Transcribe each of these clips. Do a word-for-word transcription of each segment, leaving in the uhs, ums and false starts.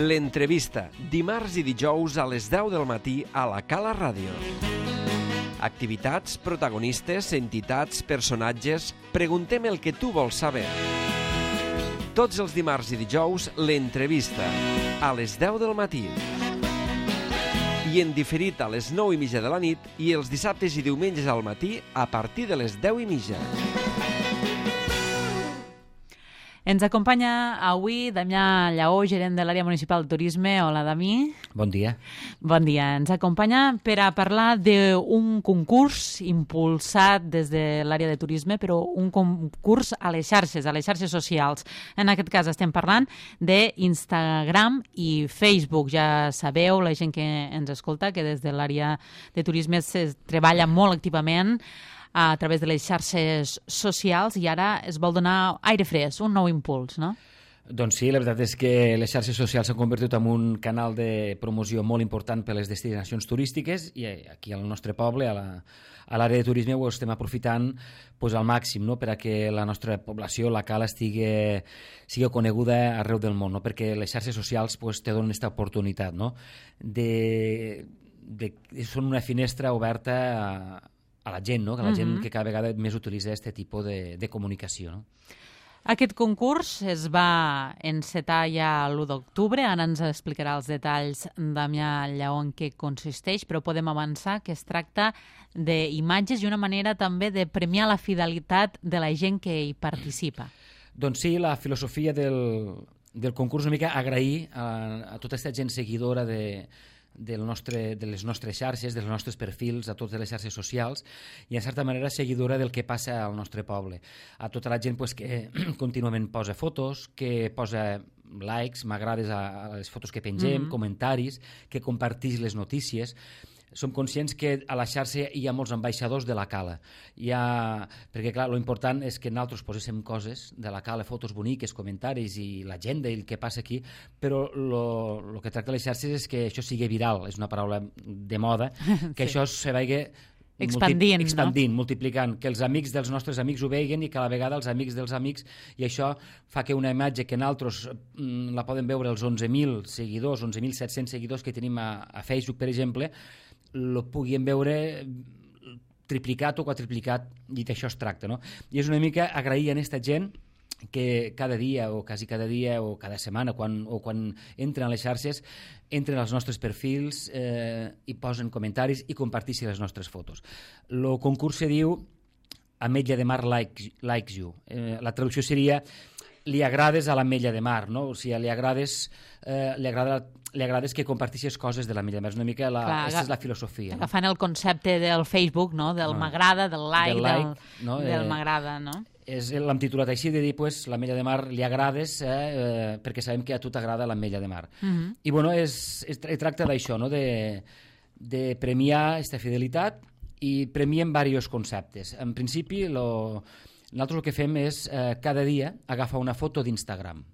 L'entrevista, dimarts i dijous a les deu del matí a la Cala Ràdio. Activitats, protagonistes, entitats, personatges... Preguntem el que tu vols saber. Tots els dimarts i dijous, l'entrevista, a les deu del matí. I en diferit a les nou i mitja de la nit i els dissabtes i diumenges al matí a partir de les deu i mitja. Ens acompanya avui Damià Lleó, gerent de l'àrea municipal de turisme. Hola, Dami. Bon dia. Bon dia. Ens acompanya per a parlar d'un concurs impulsat des de l'àrea de turisme, però un concurs a les xarxes, a les xarxes socials. En aquest cas estem parlant d'Instagram i Facebook. Ja sabeu, la gent que ens escolta, que des de l'àrea de turisme es treballa molt activament a través de les xarxes socials i ara es vol donar aire fresc, un nou impuls, no? Doncs sí, la veritat és que les xarxes socials s'han convertit en un canal de promoció molt important per a les destinacions turístiques i aquí al nostre poble, a l'àrea de turisme, ho estem aprofitant pues, al màxim, no? Per a que la nostra població, la Cala, estigui, sigui coneguda arreu del món, no? Perquè les xarxes socials pues, te donen aquesta oportunitat, no? De, de, són una finestra oberta a a la gent, no? Que la gent uh-huh. que cada vegada més utilitza aquest tipus de, de comunicació. No? Aquest concurs es va encetar ja l'u d'octubre, ara ens explicarà els detalls Damià Lleó en què consisteix, però podem avançar que es tracta d'imatges i una manera també de premiar la fidelitat de la gent que hi participa. Doncs sí, la filosofia del, del concurs una mica agrair a, a tota aquesta gent seguidora de Del nostre, de les nostres xarxes, dels nostres perfils, a totes les xarxes socials i, en certa manera, seguidora del que passa al nostre poble. A tota la gent pues, que contínuament posa fotos, que posa likes, m'agrades a, a les fotos que pengem, mm-hmm. comentaris, que compartix les notícies. Som conscients que a la xarxa hi ha molts ambaixadors de la Cala. Hi ha... Perquè, clar, l'important és que nosaltres poséssim coses de la Cala, fotos boniques, comentaris i l'agenda i el que passa aquí, però el que tracta les xarxes és que això sigui viral, és una paraula de moda, que sí. Això se vagi expandint, multi... expandint no? multiplicant, que els amics dels nostres amics ho veguen i que a la vegada els amics dels amics, i això fa que una imatge que nosaltres mm, la poden veure els onze mil seguidors, onze mil set-cents seguidors que tenim a, a Facebook, per exemple, lo puguin veure triplicat o quadriplicat, i d'això es tracta, no? I és una mica agrair a aquesta gent que cada dia o quasi cada dia o cada setmana quan, o quan entren a les xarxes entren als nostres perfils eh, i posen comentaris i comparteixen les nostres fotos. El concurs se diu Ametlla de Mar likes, likes you. Eh, la traducció seria li agrades a l'Ametlla de Mar, no? O sigui, li agrades, eh, li agrada li agrades que comparteixes coses de l'Ametlla de Mar. És una mica la, Clar, aquesta és la filosofia. Agafant no? el concepte del Facebook, no? Del no. m'agrada, del like, del, like, del, no? del eh, m'agrada, no? L'hem titulat així, de dir, pues, l'Ametlla de Mar li agrades eh, eh, perquè sabem que a tu t'agrada l'Ametlla de Mar. Uh-huh. I, bueno, és, es, es tracta d'això, no? De, de premiar aquesta fidelitat i premiem diversos conceptes. En principi, lo, nosaltres el que fem és eh, cada dia agafar una foto d'Instagram.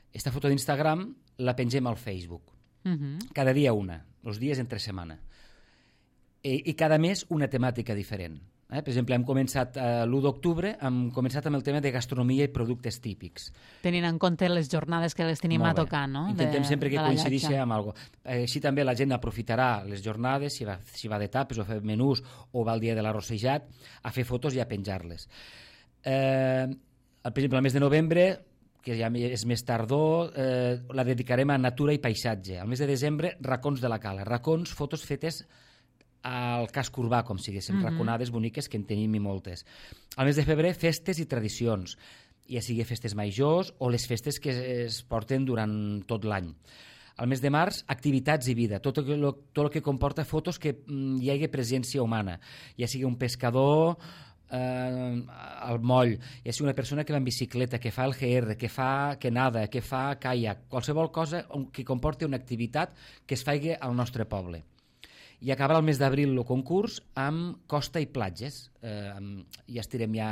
Aquesta foto d'Instagram la pengem al Facebook. Uh-huh. Cada dia una, els dies entre setmana. I, i cada mes una temàtica diferent. Eh? Per exemple, hem començat eh, l'u d'octubre, hem començat amb el tema de gastronomia i productes típics. Tenint en compte les jornades que les tenim a tocar, no? Intentem de, sempre que coincideixi amb alguna cosa. Així també la gent aprofitarà les jornades, si va, si va de tapes o fer menús o va el dia de l'arrossejat, a fer fotos i a penjar-les. Eh, per exemple, el mes de novembre, que ja és més tardor, eh, la dedicarem a natura i paisatge. Al mes de desembre, racons de la Cala. Racons, fotos fetes al casc urbà, com si diguéssim, mm-hmm. raconades boniques, que en tenim i moltes. Al mes de febrer, festes i tradicions, ja sigui festes majors o les festes que es porten durant tot l'any. Al mes de març, activitats i vida, tot el, tot el que comporta fotos que mm, hi hagi presència humana, ja sigui un pescador eh, al moll, ja sigui una persona que va en bicicleta, que fa el G R, que fa que nada, que fa caiac, qualsevol cosa que comporti una activitat que es faci al nostre poble. I acabarà el mes d'abril el concurs amb costa i platges. Eh, ja estirem ja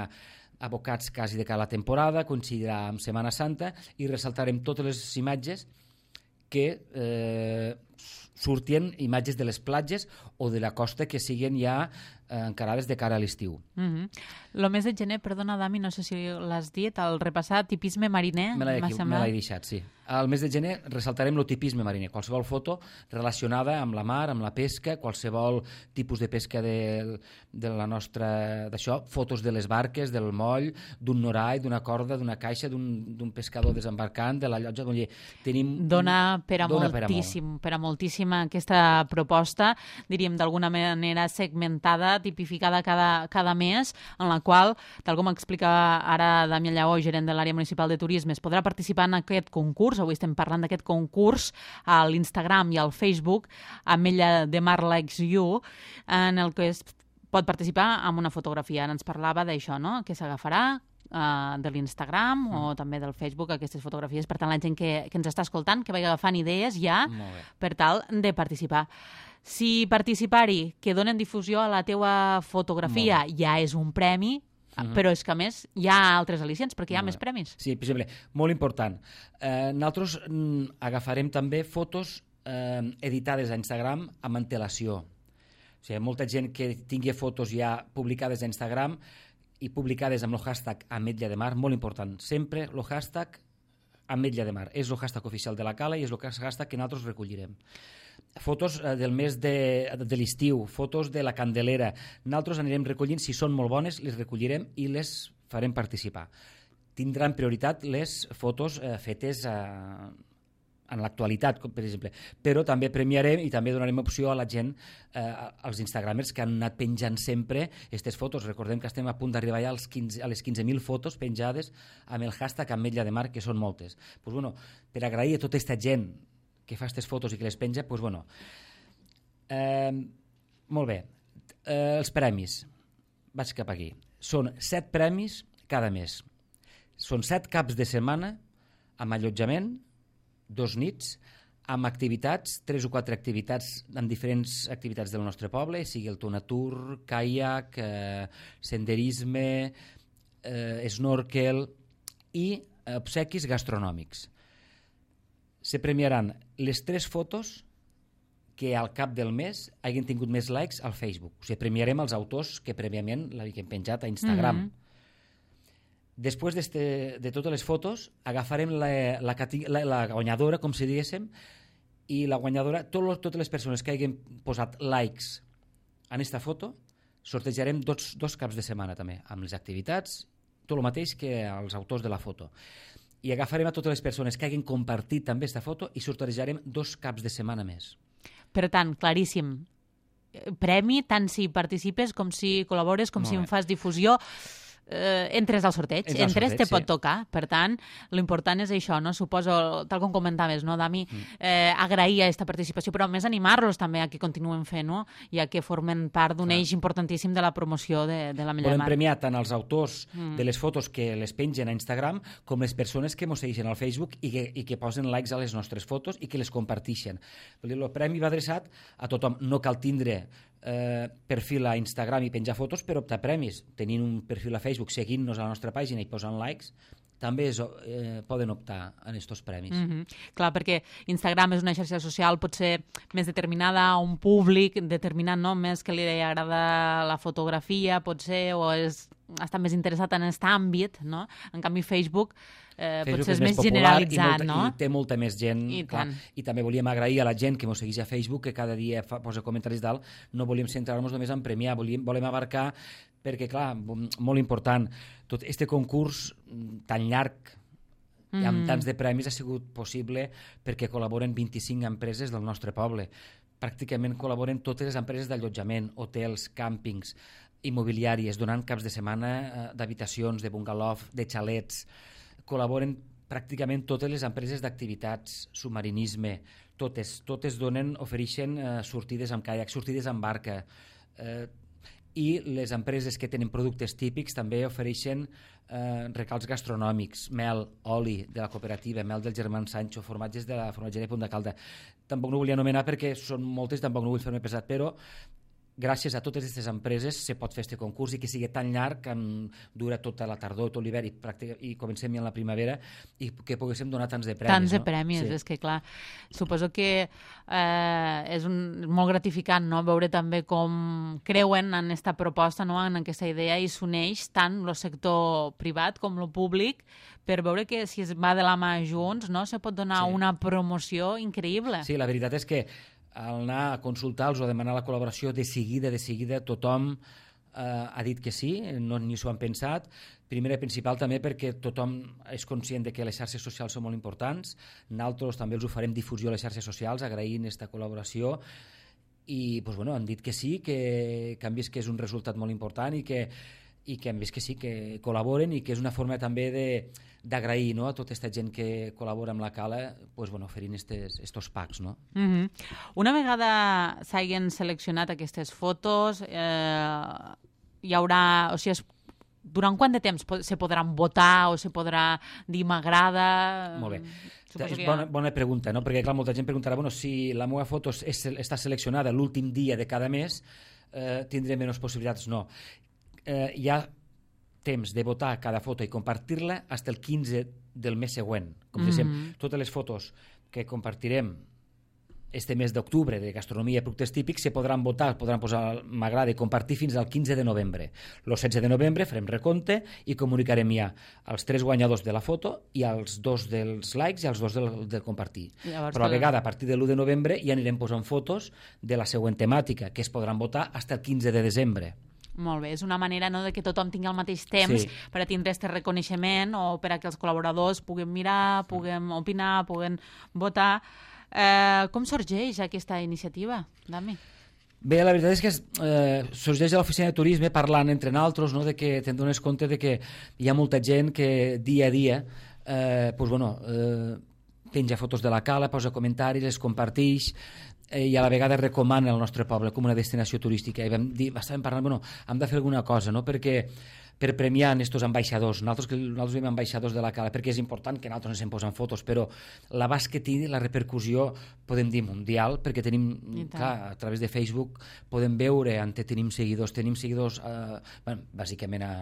abocats quasi de cada temporada, coincidirà amb Setmana Santa i ressaltarem totes les imatges que eh, surtien imatges de les platges o de la costa que siguen ja eh, encarades de cara a l'estiu. Mm-hmm. Lo mes de gener, perdona, Dami, no sé si l'has dit, el repassar tipisme mariner, Me l'he m'ha me semblat. l'he deixat, sí. Al mes de gener ressaltarem el tipisme mariner, qualsevol foto relacionada amb la mar, amb la pesca, qualsevol tipus de pesca de, de la nostra... d'això, fotos de les barques, del moll, d'un norall, d'una corda, d'una caixa, d'un pescador desembarcant, de la llotja... Doncs, tenim... Dona per a dona moltíssim, per a, per a moltíssima aquesta proposta, diríem d'alguna manera segmentada, tipificada cada, cada mes, en la qual, tal com explica ara Damià Lleó, gerent de l'àrea municipal de turisme, es podrà participar en aquest concurs. Avui estem parlant d'aquest concurs a l'Instagram i al Facebook, Ametlla de Mar Likes You, en el que es pot participar amb una fotografia. Ara ens parlava d'això, no?, que s'agafarà uh, de l'Instagram mm. o també del Facebook aquestes fotografies. Per tant, la gent que, que ens està escoltant, que vagi agafant idees ja per tal de participar. Si participar-hi, que donen difusió a la teua fotografia, ja és un premi, Uh-huh. però és que a més hi ha altres al·licients perquè hi ha molt més premis. Sí, per exemple, molt important. Eh, nosaltres mm, agafarem també fotos eh, editades a Instagram amb antelació. O sigui, molta gent que tingui fotos ja publicades a Instagram i publicades amb el hashtag Ametlla de Mar, molt important. Sempre el hashtag Ametlla de Mar. És el hashtag oficial de la Cala i és el hashtag que nosaltres recollirem. Fotos eh, del mes de, de l'estiu, fotos de la Candelera. Nosaltres anirem recollint, si són molt bones, les recollirem i les farem participar. Tindran prioritat les fotos eh, fetes eh, en l'actualitat, per exemple. Però també premiarem i també donarem opció a la gent, eh, als instagramers que han anat penjant sempre aquestes fotos. Recordem que estem a punt d'arribar ja als quinze, a les quinze mil fotos penjades amb el hashtag Ametlla de Mar, que són moltes. Pues, bueno, per agrair a tota aquesta gent que fa aquestes fotos i que les penja, doncs, bueno, eh, molt bé. Eh, els premis, vaig cap aquí. Són set premis cada mes. Són set caps de setmana amb allotjament, dos nits, amb activitats, tres o quatre activitats, amb diferents activitats del nostre poble, sigui el tonatur, caiac, eh, senderisme, eh, snorkel i obsequis gastronòmics. Se premiaran les tres fotos que al cap del mes hagin tingut més likes al Facebook. O sigui, premiarem els autors que prèviament l'havien penjat a Instagram. Mm-hmm. Després de totes les fotos, agafarem la, la, la, la guanyadora, com si diguéssim, i la guanyadora, tot, totes les persones que hagin posat likes en aquesta foto, sortejarem dos, dos caps de setmana també, amb les activitats, tot el mateix que els autors de la foto. I agafarem a totes les persones que hagin compartit també aquesta foto i sortejarem dos caps de setmana més. Per tant, claríssim, premi tant si participes com si col·labores, com Molt si bé. En fas difusió. Eh, entres al sorteig, entres, entres te sí. pot tocar. Per tant, l'important és això, no? Suposo, tal com comentaves, no, Dami, mm. eh, agrair aquesta participació, però a més animar-los també a que continuen fent, no? I a que formen part d'un eix importantíssim de la promoció de, de l'Ametlla de Mar. Volem premiar tant els autors mm. de les fotos que les pengen a Instagram com les persones que mos segueixen al Facebook i que, i que posen likes a les nostres fotos i que les compartixen. El premi va adreçat a tothom. No cal tindre Eh, perfil a Instagram i penjar fotos per optar premis. Tenint un perfil a Facebook, seguint-nos a la nostra pàgina i posant likes, també és, eh, poden optar en aquests premis. Mm-hmm. Clar, perquè Instagram és una xarxa social potser més determinada a un públic determinat, no? Més que li agrada la fotografia, potser, o és, està més interessat en aquest àmbit, no? En canvi, Facebook Eh, potser és, és més, més generalitzat, i molta, no? I té molta més gent. I, clar, I també volíem agrair a la gent que ens segueix a Facebook, que cada dia fa, posa comentaris dalt. No volíem centrar-nos només en premiar, volíem, volem abarcar, perquè, clar, molt important, tot este concurs tan llarg mm. i amb tants de premis ha sigut possible perquè col·laboren vint-i-cinc empreses del nostre poble. Pràcticament col·laboren totes les empreses d'allotjament, hotels, càmpings, immobiliàries, donant caps de setmana d'habitacions, de bungalow, de xalets. Col·laboren pràcticament totes les empreses d'activitats, submarinisme, totes, totes donen, ofereixen eh, sortides amb caiac, sortides amb barca, eh, i les empreses que tenen productes típics també ofereixen eh, recals gastronòmics, mel, oli de la cooperativa, mel del germà Sancho, formatges de la formatgeria Punt de Calda. Tampoc no volia anomenar perquè són moltes, tampoc no vull fer-me pesat, però gràcies a totes aquestes empreses se pot fer aquest concurs i que sigui tan llarg que dura tota la tardor, tot l'hivern i, pràctica, i comencem ja en la primavera i que poguéssim donar tants de premis. Tants de no? premis, sí. És que clar, suposo que eh, és un, molt gratificant, no?, veure també com creuen en aquesta proposta, no?, en aquesta idea i s'uneix tant el sector privat com el públic per veure que si es va de la mà junts, no?, se pot donar sí. una promoció increïble. Sí, la veritat és que al anar a consultar-los o a demanar la col·laboració, de seguida, de seguida, tothom eh, ha dit que sí, no, ni s'ho han pensat. Primera i principal també perquè tothom és conscient de que les xarxes socials són molt importants. Nosaltres també els oferem difusió a les xarxes socials, agraint aquesta col·laboració, i pues, bueno, han dit que sí, que, que han vist que és un resultat molt important i que, i que han vist que sí, que col·laboren i que és una forma també de d'agrair, no?, a tota aquesta gent que col·labora amb la Cala, pues, bueno, oferint estos packs, no? Mm-hmm. Una vegada s'hagin seleccionat aquestes fotos, eh, hi haurà... O sigui, es, durant quant de temps se podran votar o se podrà dir m'agrada? Molt bé. Suposo és que bona, bona pregunta, no? Perquè clar, molta gent preguntarà, bueno, si la meva foto és, està seleccionada l'últim dia de cada mes, eh, tindré menys possibilitats? No. Eh, hi ha temps de votar cada foto i compartir-la fins el quinze del mes següent. Com mm-hmm. dèiem, totes les fotos que compartirem este mes d'octubre de gastronomia i productes típics se podran votar, podran posar m'agrada i compartir fins al quinze de novembre. El setze de novembre farem recompte i comunicarem ja els tres guanyadors de la foto i els dos dels likes i els dos del, del compartir. Llavors, però a la vegada, a partir de l'u de novembre ja anirem posant fotos de la següent temàtica, que es podran votar fins el quinze de desembre. Molt bé, és una manera, no?, de que tothom tingui el mateix temps sí. per a tindre aquest reconeixement o per a que els col·laboradors puguem mirar, puguem opinar, puguem votar. Eh, com sorgeix aquesta iniciativa, Dami? Bé, la veritat és que eh, sorgeix a l'oficina de turisme parlant entre nosaltres, no?, de que te'n dones compte de que hi ha molta gent que dia a dia eh, pues, bueno, eh, penja fotos de la Cala, posa comentaris, les comparteix eh, i a la vegada recomana el nostre poble com una destinació turística. I vam dir, estàvem parlant, bueno, hem de fer alguna cosa, no?, perquè per premiar aquests ambaixadors. Nosaltres, que nosaltres veiem ambaixadors de la Cala, perquè és important que nosaltres ens en posem fotos, però l'abast que tingui, la repercussió, podem dir mundial, perquè tenim, clar, a través de Facebook podem veure on tenim seguidors. Tenim seguidors, eh, bueno, bàsicament a,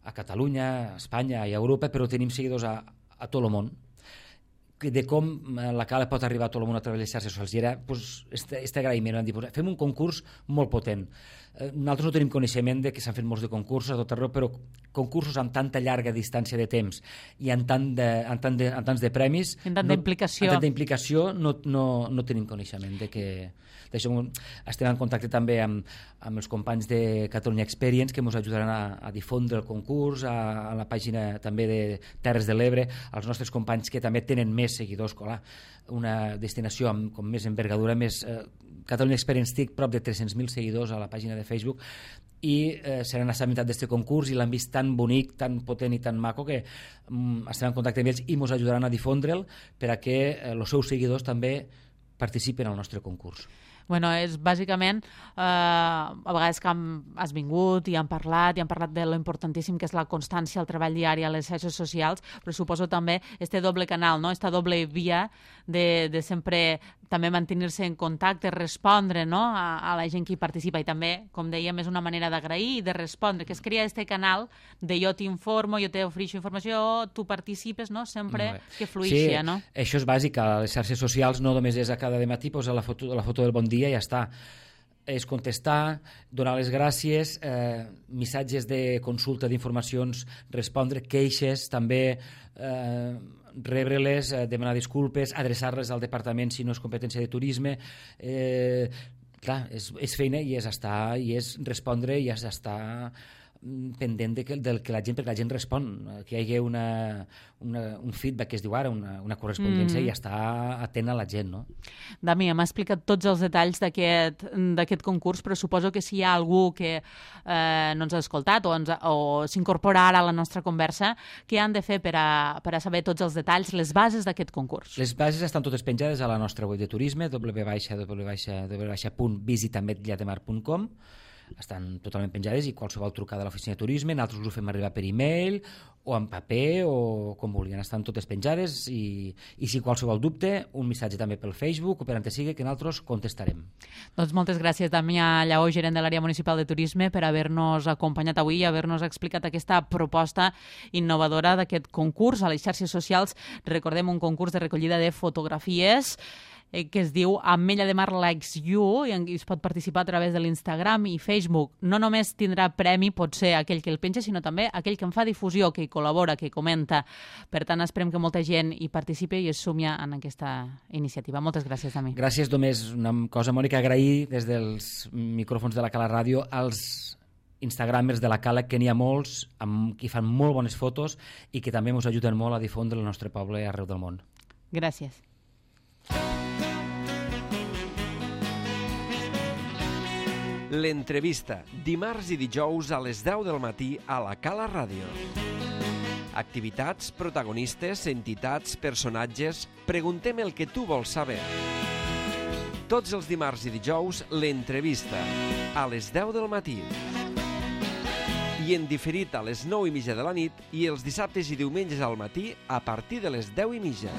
a Catalunya, a Espanya i a Europa, però tenim seguidors a, a tot el món. De com la Cala pot arribar a tot el món a través de les xarxes socials. I era pues, este, este agraïment. Vam dir, pues, fem un concurs molt potent. Eh, nosaltres no tenim coneixement de que s'han fet molts de concursos a tot arreu, però concursos amb tanta llarga distància de temps i amb, tant de, amb, tant de, amb tants de premis... Amb tanta no, implicació. Amb tanta implicació no, no, no tenim coneixement de que... D'això estem en contacte també amb, amb els companys de Catalunya Experience que ens ajudaran a, a difondre el concurs, a, a la pàgina també de Terres de l'Ebre, als nostres companys que també tenen més seguidors, clar, una destinació amb com més envergadura, més... Eh, Catalunya Experience té prop de tres-cents mil seguidors a la pàgina de Facebook i eh, seran assabmentats d'aquest concurs i l'han vist tan bonic, tan potent i tan maco que mm, estarem en contacte amb ells i ens ajudaran a difondre'l per a que eh, els seus seguidors també participen al nostre concurs. Bueno, és bàsicament, eh, a vegades que hem, has vingut i han parlat, i han parlat de lo importantíssim que és la constància, el treball diari a les xarxes socials, però suposo també este doble canal, no?, esta doble via de, de sempre també mantenir-se en contacte, respondre, no?, a, a la gent que hi participa, i també, com dèiem, és una manera d'agrair i de respondre, que es crea este canal de jo t'informo, jo t'ofereixo informació, tu participes, no?, sempre que fluixi, sí, no? Això és bàsic, a les xarxes socials no només és a cada matí posar la foto, la foto del bon dia i ja està. És contestar, donar les gràcies, eh, missatges de consulta d'informacions, respondre, queixes, també eh, rebre-les, eh, demanar disculpes, adreçar-les al departament si no és competència de turisme. Eh, clar, és, és feina i és estar, i és respondre i és estar pendent de que, del que la gent, perquè la gent respon, que hi hagi una, una, un feedback que es diu ara, una, una correspondència, mm. i està atent a la gent, no? Dami, m'ha explicat tots els detalls d'aquest concurs, però suposo que si hi ha algú que eh, no ens ha escoltat o, ens, o s'incorpora ara a la nostra conversa, què han de fer per a, per a saber tots els detalls, les bases d'aquest concurs? Les bases estan totes penjades a la nostra web de turisme, w w w punt visitametllademar punt com. estan totalment penjades, i qualsevol trucada a l'oficina de turisme, nosaltres us ho fem arribar per e-mail o en paper o com vulguin, estan totes penjades, i, i si qualsevol dubte, un missatge també pel Facebook o per on sigui, que nosaltres contestarem. Doncs moltes gràcies, Damià Lleó, gerent de l'àrea municipal de turisme, per haver-nos acompanyat avui i haver-nos explicat aquesta proposta innovadora d'aquest concurs a les xarxes socials. Recordem, un concurs de recollida de fotografies que es diu Ametlla de Mar Likes You, i es pot participar a través de l'Instagram i Facebook. No només tindrà premi, pot ser aquell que el penja, sinó també aquell que en fa difusió, que hi col·labora, que hi comenta. Per tant, esperem que molta gent hi participi i es sumi en aquesta iniciativa. Moltes gràcies, Dami. Gràcies. Només una cosa, Mònica, agrair des dels micròfons de la Cala Ràdio als instagramers de la Cala, que n'hi ha molts, amb, que fan molt bones fotos i que també ens ajuden molt a difondre el nostre poble arreu del món. Gràcies. L'entrevista, dimarts i dijous a les deu del matí a la Cala Ràdio. Activitats, protagonistes, entitats, personatges... Preguntem el que tu vols saber. Tots els dimarts i dijous, l'entrevista, a les deu del matí. I en diferit a les nou i mitja de la nit, i els dissabtes i diumenges al matí a partir de les deu i mitja.